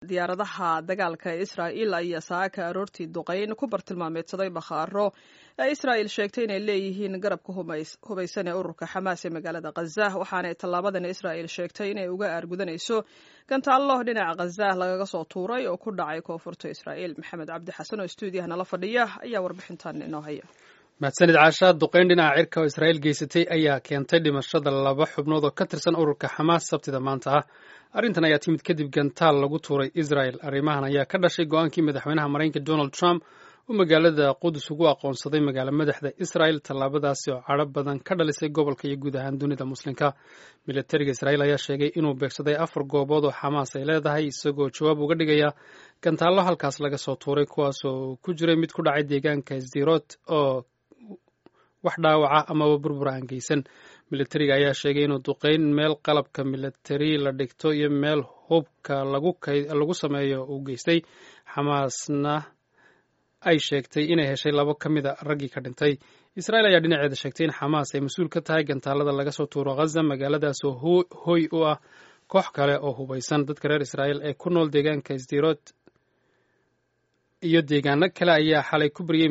Diyaaradaha dagaalka ee Israa'iil ayaa saaka aroortii duqayn ku bartilmaameedsaday bakhaaro ee Israa'il sheegtay inay leeyihiin garabka hubaysan ee ururka Xamaas ee magaalada Khaza, waxaanay tallaabadan Israa'il sheegtay inay uga aargudanayso gantaallo dhinaca Khaza lagaga soo tuuray oo ku dhacay koonfurta Israa'iil. Maxamed Cabdi Xasan oo stuudiyaha nala fadhiya ayaa warbixintan inoo haya. Mahadsanid, Caasha. Duqayn dhinaca cirka oo Israa'iil geysatay ayaa keentay dhimashada laba xubnood oo ka tirsan ururka Xamaas Sabtida maanta ah. Arrintan ayaa timid kadib gantaal lagu tuuray Israel. Arrimahan ayaa ka dhashay go-aankii madaxweynaha Maraykanka Donald Trump uu magaalada Qudus ugu aqoonsaday magaalo madaxda Israel, tallaabadaasi oo cadho badan ka dhalisay gobolka iyo guud ahaan dunida Muslimka. Militariga Israel ayaa sheegay inuu beegsaday afar goobood oo Xamaas ay leedahay, isagoo jawaab uga dhigaya gantaallo halkaas laga soo tuuray, kuwaas oo ku jiray mid ku dhacay deegaanka Sdirot oo wax dhaawaca amaba burbur aan geysan. Militariga ayaa sheegay inuu duqeyn meel qalabka militari la dhigto iyo meel hubka lagu sameeyo uu geystay, Xamaasna ay sheegtay inay heshay labo ka mida raggii ka dhintay. Israel ayaa dhinaceeda sheegtay in Xamaas ay mas-uul ka tahay gantaalada laga soo tuuro Ghaza, magaaladaas oo hoy u ah koox kale oo hubaysan. Dadka reer Israel ee ku nool deegaanka Sdirot iyo deegaano kale ayaa xalay ku baryey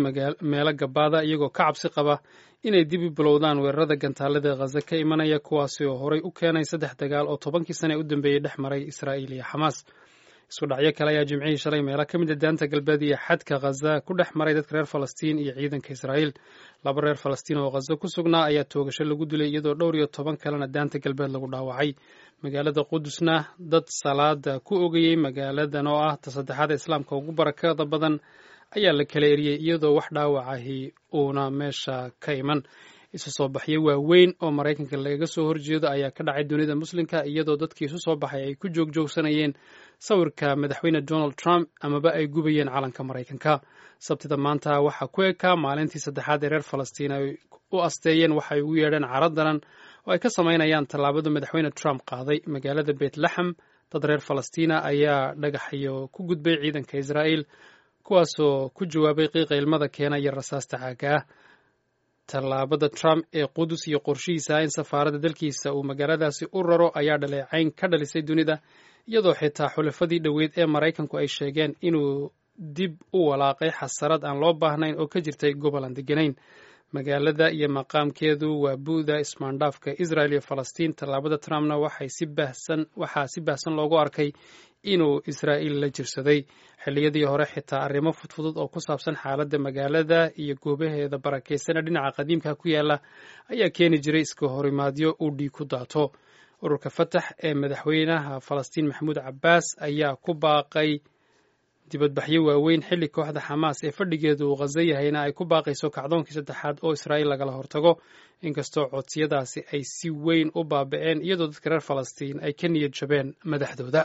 meelo gabaada, iyagoo ka cabsi qaba inay dib u bilowdaan weerarada gantaalada Khaza ka imanaya, kuwaasi oo horay u keenay saddex dagaal oo 10kii sane u dambeeyey dhex maray Israa'iil iyo Xamaas. Isku dhacyo kale ayaa Jimcihii shalay meelo ka mid a Daanta Galbeed iyo xadka Khaza ku dhex maray dadka reer Falastiin iyo ciidanka Israa'iil. Laba reer Falastiin oo Khaza ku sugnaa ayaa toogasho lagu dilay, iyadoo dhowr iyo toban kalena Daanta Galbeed lagu dhaawacay. Magaalada Qudusna dad salaada ku ogayey magaaladan oo ah ta saddexaad Islaamka ugu barakada badan ayaa la kala eriyey, iyadoo wax dhaawacahi uuna meesha ka iman. Isu soo baxyo waaweyn oo Maraykanka lagaga soo horjeedo ayaa ka dhacay dunida Muslimka, iyadoo dadkii isu soo baxay ay ku joogjoogsanayeen sawirka madaxweyne Donald Trump amaba ay gubayeen calanka Maraykanka. Sabtida maanta waxaa ku ekaa maalintii saddexaad ee reer Falastiin ay u asteeyeen waxay ugu yeedheen caro daran oo ay ka samaynayaan tallaabada madaxweyne Trump qaaday. Magaalada Beytlaxam dad reer Falastiina ayaa dhagaxyo ku gudbay ciidanka Israa'iil, kuwaasoo ku jawaabay qiiqa ilmada keena iyo rasaasta caaga ah. Tallaabada Trump ee Qudus iyo qorshihiisa in safaaradda dalkiisa uu magaaladaasi u raro ayaa dhaleecayn ka dhalisay dunida, iyadoo xitaa xulafadii dhoweyd ee Maraykanku ay sheegeen inuu dib u walaaqay xasarad aan loo baahnayn oo ka jirtay gobol aan deganayn. Magaalada iyo maqaamkeedu waa bu'da ismaandhaafka Israel iyo Falastiin. Tallaabada Trumpna waxay si baahsan waxaa si baahsan loogu arkay inuu Israa'iil la jirsaday. Xilliyadii hore xitaa arrimo fudfudud oo ku saabsan xaaladda magaalada iyo goobaheeda barakaysan ee dhinaca qadiimka ku yaala ayaa keeni jiray iska horimaadyo uu dhiig ku daato. Ururka Fatax ee madaxweynaha Falastiin Maxamuud Cabbaas ayaa ku baaqay dibadbaxyo waaweyn, xilli kooxda Xamaas ee fadhigeedu uu Khaza yahayna ay ku baaqayso kacdoonkii saddexaad oo Israa'iil lagala hortago, inkastoo codsiyadaasi ay si weyn u baaba'een, iyadoo dadka reer Falastiin ay ka niyad jabeen madaxdooda.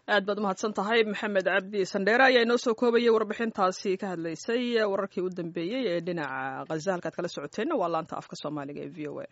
Aad baad umahadsan tahay, Maxamed Cabdi Sandheere ayaa inoo soo koobayay warbixintaasi ka hadlaysay wararkii u dambeeyey ee dhinaca Khaza. Halkaad kala socoteenna waa laanta afka Soomaaliga ee VOA.